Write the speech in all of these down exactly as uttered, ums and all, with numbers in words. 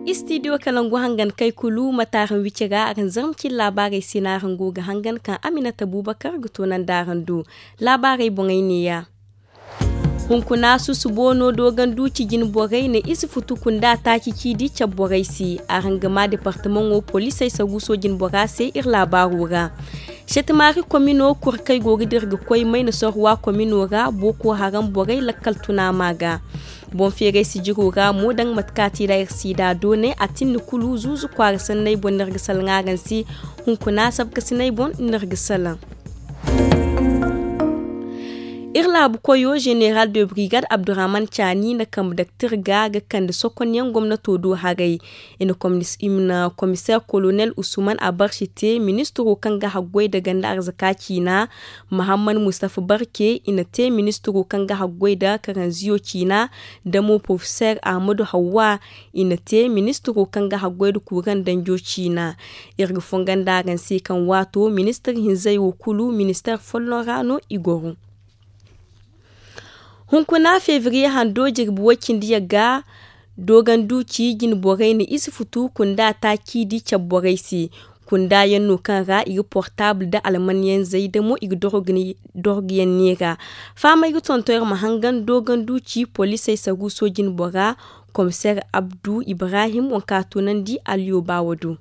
Istidiyo kalangu hangan kay kulu mataran wici ra aran zarmcin laabaarey se no aran go ga hangan kaŋ aminata bubakar ga toonandi aran do. Laabaarey boŋey neeya. Hunkuna susubo no dooganduuci jinborey na ize futu kunda taaci ciidi cabe borey se. Araŋ ga maa departamaŋo poliisey saruuso jinbora se iri laabaaro ra. Setemaari komino kuri kaŋ ay go ga dira ga koy mayna sorwa komino ra booko haram borey lakkal tuna ma ga. Boŋ feeray sijiro ra mo daŋ mate kaŋ a te da iri siida doonay a tinni kulu zuuzu kwaara sanney boŋ no iri ga salaŋ araŋ se. Hunkuna sabkasiney boŋ no iri ga salaŋ. Iri laabu koyo zeneral de brigade abdurrahman caani na kambe daktir ga ga kande sokonyaŋ gomnato do haray. I na komiseer kolonel usman abarsi te ministiro kaŋ ga haggoy da ganda arzaka ciina. Mahammad mustafa barke i na te ministiro kaŋ ga haggoy da karanziyo ciina. Da mo porofeseer ahmadu hawwa i na te ministiro kaŋ ga haggoy da kuuraŋ danjo ciina. Iri ga fongondi araŋ se kaŋ waato ministir hinzey wo kulu ministeer folloŋ ra no i goro. Hunkuna febriye hando jirbi way cindi yagga dooganduuci jinborey na ize futu kunda taaci di cabe borey se. Kunda yaŋ no kaŋ ra i ga portaabul nda almanyaŋ zay damo i ga dorgu yaŋ neera. Fahamey ga tonton iri ma hangan dooganduuci poliisey saruuso jinbora komiseer abdu ibrahim waŋ kaŋ a toonandi aliyooba wo do.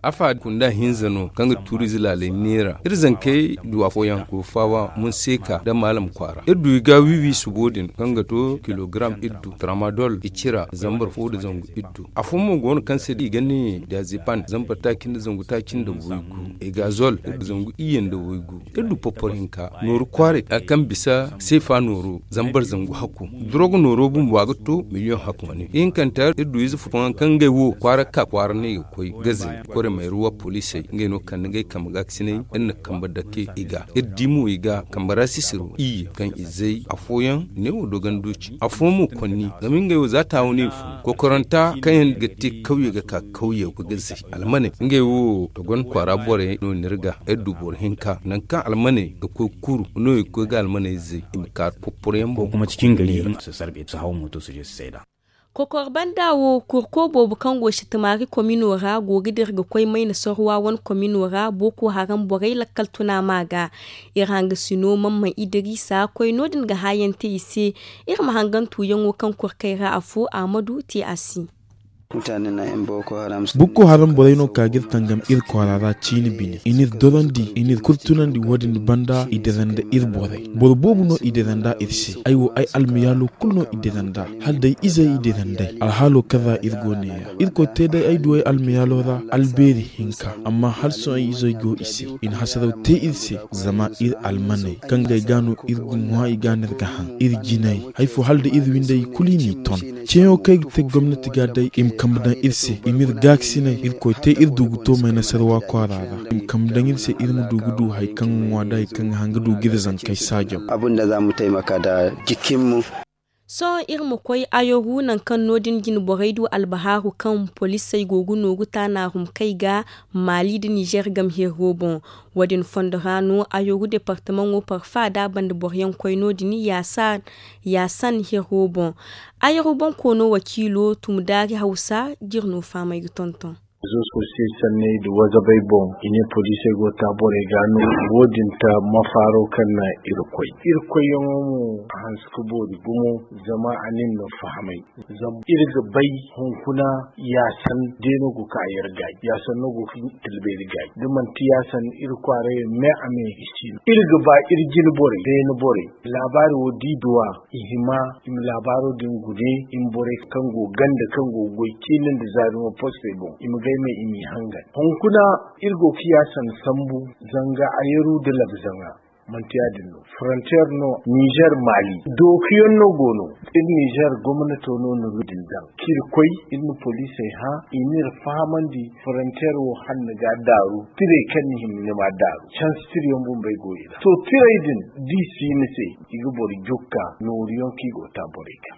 Afa kunda hinza no kaŋ ga tuuriize laaley neera iri zankey du afooyaŋ go faawa munseka nda maalam kwaara iri du i ga wiiwi subo din kaŋ ga to kilogaram iddu tramadol i cira zambar fo nda zangu iddu. Afo mo go no kaŋ se da i ga ne diazepan zambar taaci nda zangu taaci nda waygu. Egazol iri ga zangu iyye nda waygu. Iri du popor hinka nooru kwaaray a kaŋ bisa seefa nooro zambar zangu hakku. Durog nooro bumbo a ga to miliyoŋ hakku wane ihinkanta iri du ize fo fooyaŋ kaŋ ngey wo kwaara ka kwaara no i ga koy gazey kore mayruwa poliisey ngey no kande ngey kambe gaakasiney. Iri na kambe dake i ga iri di mo i ga kambe ra sisiro iyye kaŋ i zay afooyaŋ neewo dooganduuci afooyaŋ mo konni zama ngey wo za taawo no i fun kokoranta kaŋ yaŋ ga te kawye ga ka kawye ga zay almaney ngey wo togon kwaara borey no ni iri ga iri du boro hinka nangu kaŋ almaney ga koy kuru no i ga koy ga almaney zay i ma ka poporoyaŋ boŋ. Kokuma cikin gari. Su sarbe su haw moto su je su sayda. Kokor banda wo kurko boobo kaŋ go sitamaari komino ra go ga dira ga koy mayna sorwa wane komino ra booko haram borey lakkal tuna ma ga. Iri hangasino mamman idirisa koy no- din ga haayaŋ te i se. Iri ma hangan tuuyaŋo kaŋ kurkey ra afo ahmadu te a se. Bukko haram borey no ka ga iri tangam iri kwaara ra ciini bine i n'iri dorandi i n'iri kurtunandi wo- din banda i dira nda iri borey boro boobo no i dira nd'a iri se ay wo ay almayaalo kulu no i dira nd'a hala day izey i dira nd'ey alhaalo kaŋ ra iri go neeya irkoy te day ay du ay almayaalo ra albeeri hinka amma hala sohõ ay izey go i se i na hasaraw te iri se zama iri almaney kaŋ ga ay ga no iri ga ŋwa i ga no iri ga haŋ iri jinay hay fo hala da iri windey kulu i n'i ton ceeyaŋo kaŋ ay ga te gomnati ga day i ma kambe daŋ iri se i m'iri gaakasinay irkoy te iri du ga to maynasarwa kwaara ra i ma kambe daŋ iri se iri ma du ga du hari kaŋ ga ŋwa nda hari kaŋ ga haŋ ga du ga iri zankey saajaw. Sohõ iri ma koy ayoru nangu kaŋ no- din jine borey du albahaaru kaŋ poliisey go ga nooru taanaarumkey ga maali nda nizer game hirro boŋ. Wo- din fondo ra no ayoru departamaŋo parfa da a banda boroyaŋ koy no- din yaasan hirro boŋ. Ayoru boŋ koono wakiilo tumdaari hawsa ga iri no fahamey ga tonton. Rezo sosiyey sanney nda wazabey boŋ i ne poliisey go ta borey ga no wo- din ta mafaaro kaŋ na iri koy iri koyyaŋo mo a hanse ga boori gumo. Zama a na iri no fahamay zama iri ga bay hunkuna yaasan day no go ga ka iri gaay yaasan no go ga tilba iri gaay da manti yaasan iri kwaaray me a me i si no iri ga ba iri jine borey beene borey laabaari wo da i duw'a i hima i ma laabaaro din gune i ma borey kaŋ go ganda kaŋ go ga goy ciine nda zaari mo postey boŋ i ma gay me i m'i hangan hunkuna iri go ga yaasan sambu zanga ayeru nda labzaŋa. Manti ya- din no forontiyeer no nizer maali dookuyaŋ no go no. Iri nizer gomnato no na ru din daŋ kaŋ iri koy iri na poliisey hã i n'iri fahamandi forontiyeer wo hala ni ga a daaru tirey kaŋ ni hima ni m'a daaru cansi tirayaŋ bumbey go i ra to tirey din da i si ni se i ga boro jukka nooruyaŋ kaŋ i go ga ta borey ga.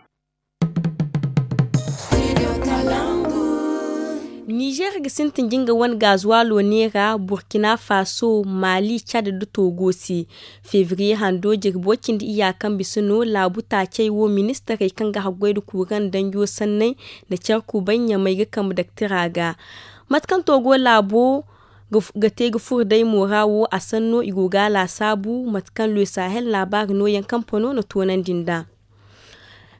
Nizer ga sintin jinga wane gaazuwaalo neera burkina faso, mali, cad nda togo se. Febriye hando jirbi way cindi iyya kaŋ bisa no laabu taacey wo ministarey kaŋ ga haggoy nda kuuraŋ danjo sanney nda care kubay ɲamey ga kambe daktira ga. Mate kaŋ togo laabo ga te ga furo day mo ra wo a sanno i go ga a laasaabu mate kaŋ le sahel laabaari nooyaŋ kampano na toonandi nd'a.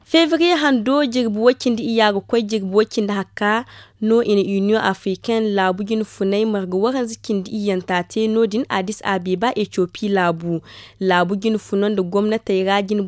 Febriye hando jirbi way cindi iyya ga koy jirbi way cindi hakka no i na union africaine laabu jine funay marga waranza cindi iyyanta te no- din addis abeba etiopi laabu. Laabu jine funo nda gomnatey ra jine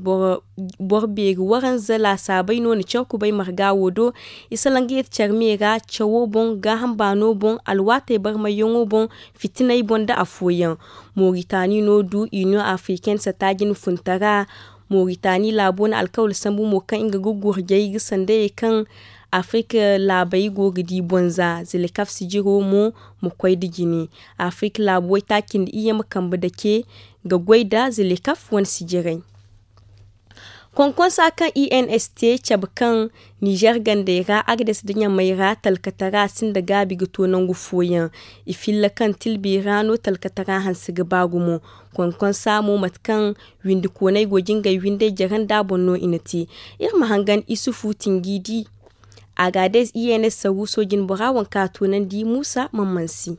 boro beeri waranza laasaabey no na care kubay marga wo do. I salaŋ ga yeeti care me ra cawo boŋ gaaham baano boŋ alwaatey barmayyaŋo boŋ fitinay boŋ nda afooyaŋ. Moritani no du union africaine sata jine funtara. Moritani laabo na alkawal sambu mo kaŋ nga ga gurjay ga sandayey kaŋ afirka laabey go ga di bonza zilekaf sijiro mo ma koy nda jine. Afirka laabu waytaaci nda iyye ma kambe dake ga goy nda zilekaf wane sijiray. Konkonsa kaŋ i n s te cabe kaŋ nizer gandey ra agades nda ɲamey ra talkatara sinda gaabi ga to nangu fooyaŋ. I filla kaŋ tilbi ra no talkatara hanse ga ba gumo. Konkonsa mo mate kaŋ windi koonay go jingay windey jare nda a boŋ no i na te. Iri ma hangan isufu tinjiidi. Agades i n s saruuso jinbora waŋ kaŋ a toonandi muusa man mansi.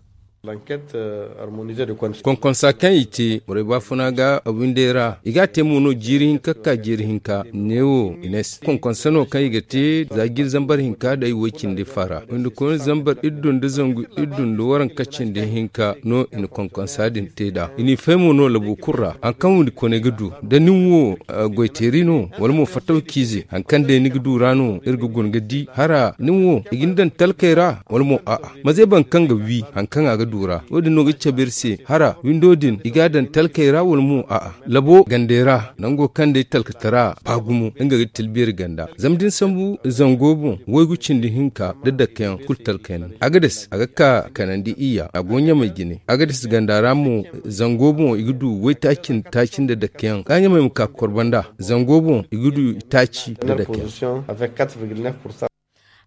Konkonsa kaŋ i te borey baafuna ga windey ra i ga a te mo no jiiri hinka ga ka jiiri hinka neewo i ne se konkonsa no kaŋ i ga te za jiiri zambar hinka day woy cindi faara windi koyne zambar iddu nda zangu iddu nda waranka cindi hinka no i na konkonsa din te nd'a i n'i fay mo no labo kulu ra hari kaŋ windi koyne ga du da nin wo goyteeri no wala mo fattaw ciize hari kaŋ day ni ga du ra no iri ga guna ga di hara nin wo i ga ni daŋ talkey ra wala mo a'a maze boro kaŋ ga wi hari kaŋ a ga du ra wo- din no ga cabe iri se hara windo din i ga a daŋ talkey ra wala mo a'a labo gandey ra nango kaŋ day talkatara ba gumo nga ga tilbeeri ganda zama da ni sambu zango boŋ waygu cindi hinka nda dakkayaŋ kulu talkey no agades a ga ka kanandi iyya a go ɲamey jine agades ganda ra mo zango boŋ i ga du waytaaci nda taaci nda dakkayaŋ ga ɲamey ma ka ga kor banda zango boŋ i ga du itaaci nda dakkayaŋ.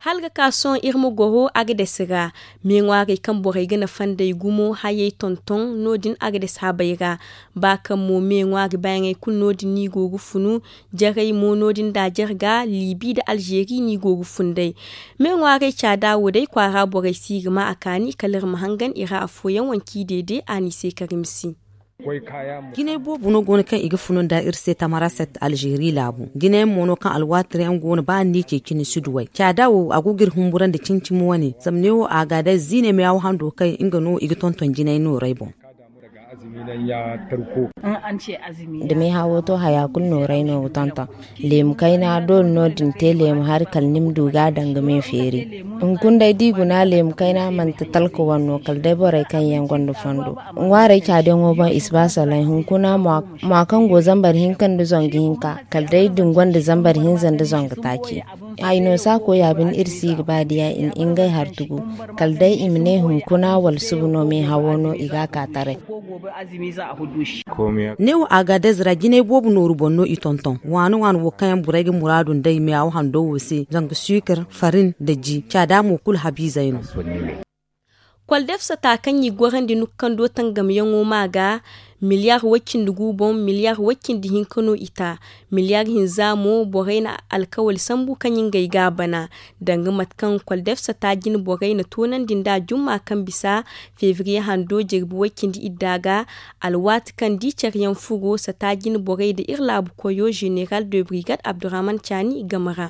Hala ga ka sohõ iri ma goro agades ra. Me ŋwaarey kaŋ borey ga nafa nd'ey gumo hayey tonton no- din agades habey ra. Ba kaŋ mo me ŋwaari baayaŋey kulu no- din no i go ga funu. Jarey mo no- din nda a jarga liibi nda alzeeri no i go ga fun day. Me ŋwaarey caada wo day kwaara borey si ga ma a kaani kala iri ma hangan i ra afooyaŋ wanci deede a n'i se karimsi. Jinay boobo no go no kaŋ i ga funu nda iri se tamaraset alzeeri laabu jinayaŋ mo no kaŋ alwaati ra yaŋ go no ba ni n'i ce cine si duw'ey caada wo a go ga iri humburandi cimi-cimi wane zama ne wo a ga day ziine meehaw hando kaŋ nga no i ga tonton jinay noorey boŋ. Da meehawo to haya kulu noorey no ga tonton leemu kayna doole no da ni te leemu hari kala ni ma du ga a daŋ ga me feeri. Hunkuna day da i guna leemu kayna manti talka wane no kala day borey kaŋ yaŋ gonda fondo ŋwaarey caadiyaŋo boŋ i si ba salay hunkuna mwa kaŋ go zambar hinka nda zangu hinka kala day da ni gonda zambar hinza nda zangu taaci. Ay no saako ya bine iri si ga ba diya i na ngey hari tugu kala day i ma ne hunkuna wala suba no meehawo no i ga a ka taray. Ne wo agadez ra jinay boobo nooru boŋ no i tonton waani waani wo kaŋ yaŋ borey ga muraadu nd'ey meehaw hando wo se zanga suukar farin nda ji caada mo kulu habiizey no. Kwaldefsata kaŋ i gorandi nukando tangamyaŋo ma ga miliyar way cindi gu boŋ miliyar way cindi hinka no i ta. Miliyar hinza mo borey na alkawali sambu kaŋ ngey ga a bana danga mate kaŋ kwaldefsata jine borey na toonandi nd'a jumma kaŋ bisa febriye hando jirbi way cindi idda ga. Alwaati kaŋ di careyaŋ furo sata jine borey nda iri laabu koyo zeneral de brigade abdurahman caani game ra.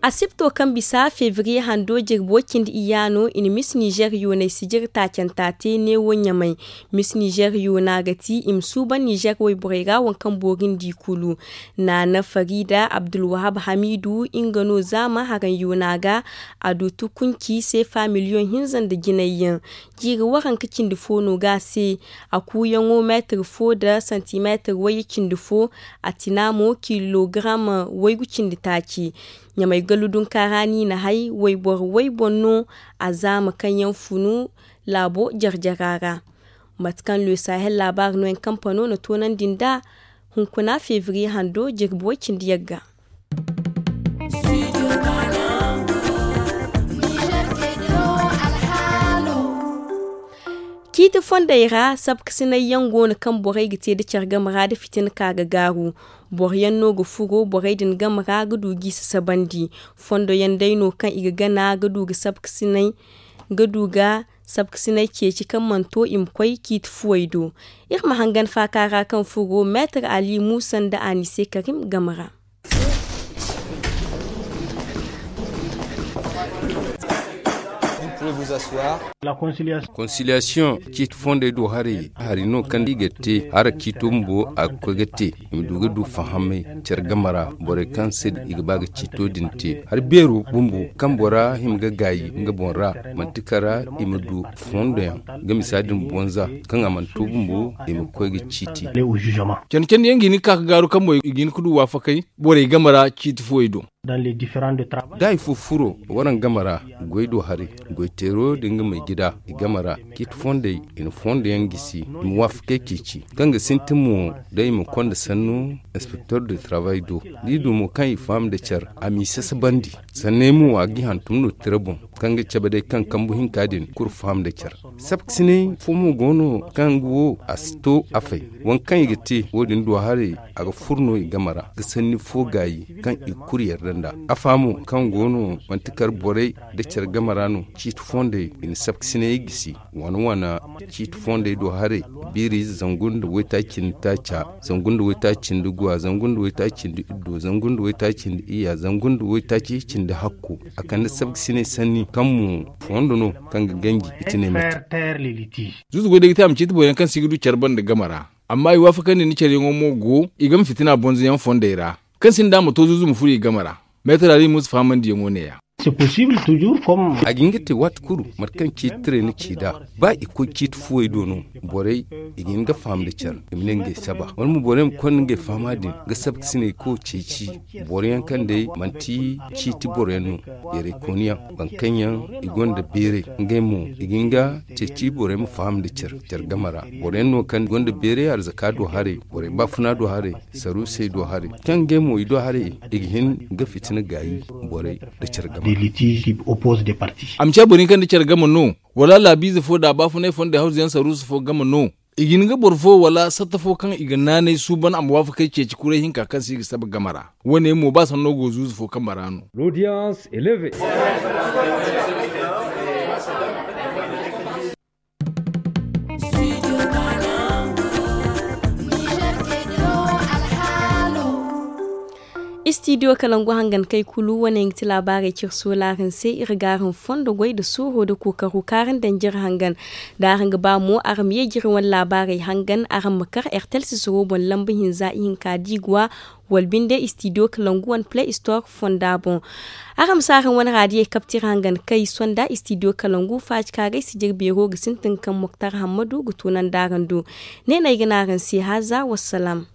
Asibto kaŋ bisa febriye hando jirbo cindi iyya no i na mis nizer yoonay sijir taacanta te neewo ɲamay. Mis nizer yoona ga ti i ma suuban nizer wayborey ra waŋ kaŋ boori nda i kulu. Naana farida abdulwahab hamiidu nga no zaama haraŋ yoona ga. A du tukunci seefa miliyoŋ hinza nda jinayyaŋ. Jiiri waranka cindi fo no ga a se. A kuuyaŋo meetir fo nda santimeetir wayye cindi fo. A tina mo kilogaram waygu cindi taaci. Ɲamay gallu dunka ra no i na hay wayboro way boŋ no. A zaama kaŋ yaŋ funu laabo jare-jara ra. Mate kaŋ le sahel laabaari no yaŋ kampano na toonandi nd'a. Hunkuna febriye hando jirbi way cindi yagga. Ciiti fondey ra, sabkasinay yaŋ go no kaŋ borey ga te nda care game ra nda fitina ka ga gaaru. Boro yaŋ no ga furo borey din game ra ga du g'i sasabandi. Fondo yaŋ day no kaŋ i ga gana ga du ga sabkasinay ga du ga sabkasinay ceeci kaŋ mana to i ma koy ciiti fuwey do. Iri ma hangan faaka ra kaŋ furo meetar ali muusa nda anise karim game ra. Konsiliyaasiyoŋ ciiti fondey do haray hari no kaŋ i ga te hara ciito bumbo a ga koy ga te. I ma du ga du fahamay care game ra borey kaŋ se i ga ba ga ciito din te hari beero bumbo kaŋ bora hima ga gaayi nga boŋ ra manti kara i ma du fondoyaŋ ga misa din bonza kaŋ a mana to bumbo i ma koy ga ciiti. Candi candi yaŋ ga hin ga ka ga gaaru kaŋ mo i ga hin ga du waafakay borey game ra ciiti fuwey do. Da hari fo furo waraŋ game ra goy do haray goy teero da nga may gida i game ra ciiti fondey i na fondoyaŋ gisi i ma waafakey ceeci kaŋ ga sintin mo da i ma konda sannu inspektor de travail do da i du mo kaŋ i faham nda care a m'i sasabandi. Sanney mo a ga i hantum no tira boŋ kaŋ ga cabe day kaŋ kambu hinka din kulu faham nda care. Sabkasinay fo mo go no kaŋ nga wo a si to a fay waŋ kaŋ i ga te wo- din do haray a ga furo no i game ra ga sanni fo gaayi kaŋ i kulu yarda nd'a. Afa mo kaŋ go no manti kar borey nda care game ra no ciiti fondey i na sabkasinay gisi waana waana ciiti fondey do haray biiri zangu nda waytaaci cindi taaca zangu nda waytaaci cindi guwa zangu nda waytaaci cindi iddo zangu nda waytaaci cindi iyya zangu nda waytaaci cindi hakku a kande sabkasinay sanni kaŋ mo fondo no kaŋ ga ganji i tine mate. Zuuzu goy day ga te a ma ciiti boro yaŋ kaŋ se i ga du care banda game ra. Amma i waafakandi nda care yaŋo mo go i game fitina bonzo yaŋ fondey ra kaŋ sinda a ma to zuuzu ma furo i game ra. Meetar ali musa fahamandi yaŋo ne- ya. A ga hin ga te waati kulu mate kaŋ ciiti tiray na ci nd'a ba i koy ciiti fuwey do no borey i ga hin ga faham nda care i ma ne ngey saba wala mo borey ma konda ngey fahama din ga sabkasinay kaw ceeci boro yaŋ kaŋ day manti ciiti boro yaŋ no. Beeray kooni yaŋ boro kaŋ yaŋ i gonda beeray ngey mo i ga hin ga ceeci borey ma faham nda care care game ra. Boro yaŋ no kaŋ gonda beeray arzaka do haray borey baafuna do haray saruusey do haray kaŋ ngey mo i do haray i ga hin ga fitina gaayi borey nda care game ra. A ma ciya boro yaŋ kaŋ nda care game no wala laabiize fo nda baafunay fo nda hawzu yaŋ saruusu fo game no i ga hin ga boro fo wala satta fo kaŋ i ga naanay suuban a ma waafakay ceeci kuray hinka kaŋ se i ga saba game ra. Wo- ne mo ba sanno go zuuzu fo kambe ra no. Istidiyo kalangu hangan kay kulu wane nga ti laabaarey cire soolaarin se iri ga araŋ fondo goy nda sooro nda kookaro kaara nda njira hangan. Da araŋ ga ba mo araŋ ma ye jiri wane laabaarey hangan araŋ ma kar ertel sisiro boŋ lamba hinza ihinka diiguwa wala binde istidiyo kalangu wane play store fonda boŋ. Araŋ ma si araŋ wane raadiyey kabtira hangan kay sonda istidiyo kalangu faaci kaagay sijir beero ga sintin kaŋ moktar hammadu ga tunandi araŋ do. Ne no ay ga ne araŋ se haaza wassalam.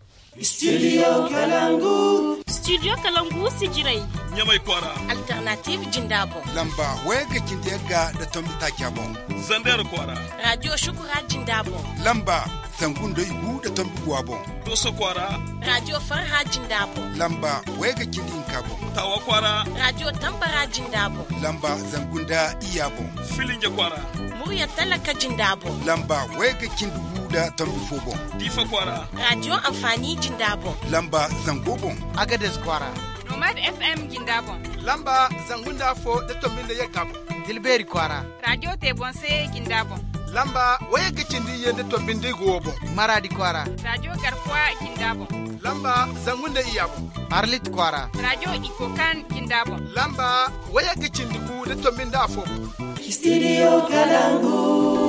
Studio kalangu. Studio kalangu sijirey. Ɲamay kwaara. Alternative jinda boŋ. Lamba waya ga cindi yagga nda tombi taaca boŋ. Zander kwaara. Radio shukura jinda boŋ. Lamba zangu nda igu nda tombi guwa boŋ. Doso kwaara. Radio farha jinda boŋ. Lamba waya ga cindi hinka boŋ. Tawa kwaara. Radio tambara jinda boŋ. Lamba zangu nda iyya boŋ. Filinja kwaara. Murya talaka jinda boŋ. Lamba waya ga cindi gu nda tombi fo boŋ. Diifa kwaara. Radio anfaani jinda boŋ. Lamba zango boŋ. Agades kwaara. Nomad FM jinda boŋ. Lamba zangu nda afo nda tombi nda yagga boŋ. Dilbeeri kwaara. Radio te boŋ se jinda boŋ. Lamba waya ga cindi iyye nda tombi nda igu wo boŋ. Maraadi kwaara. Radio garkuwa jinda boŋ. Lamba zangu nda iyya boŋ. Arlit kwaara. Radio ikokan jinda boŋ. Lamba waya ga cindi gu nda tombi nda afo boŋ. Studio kalangu.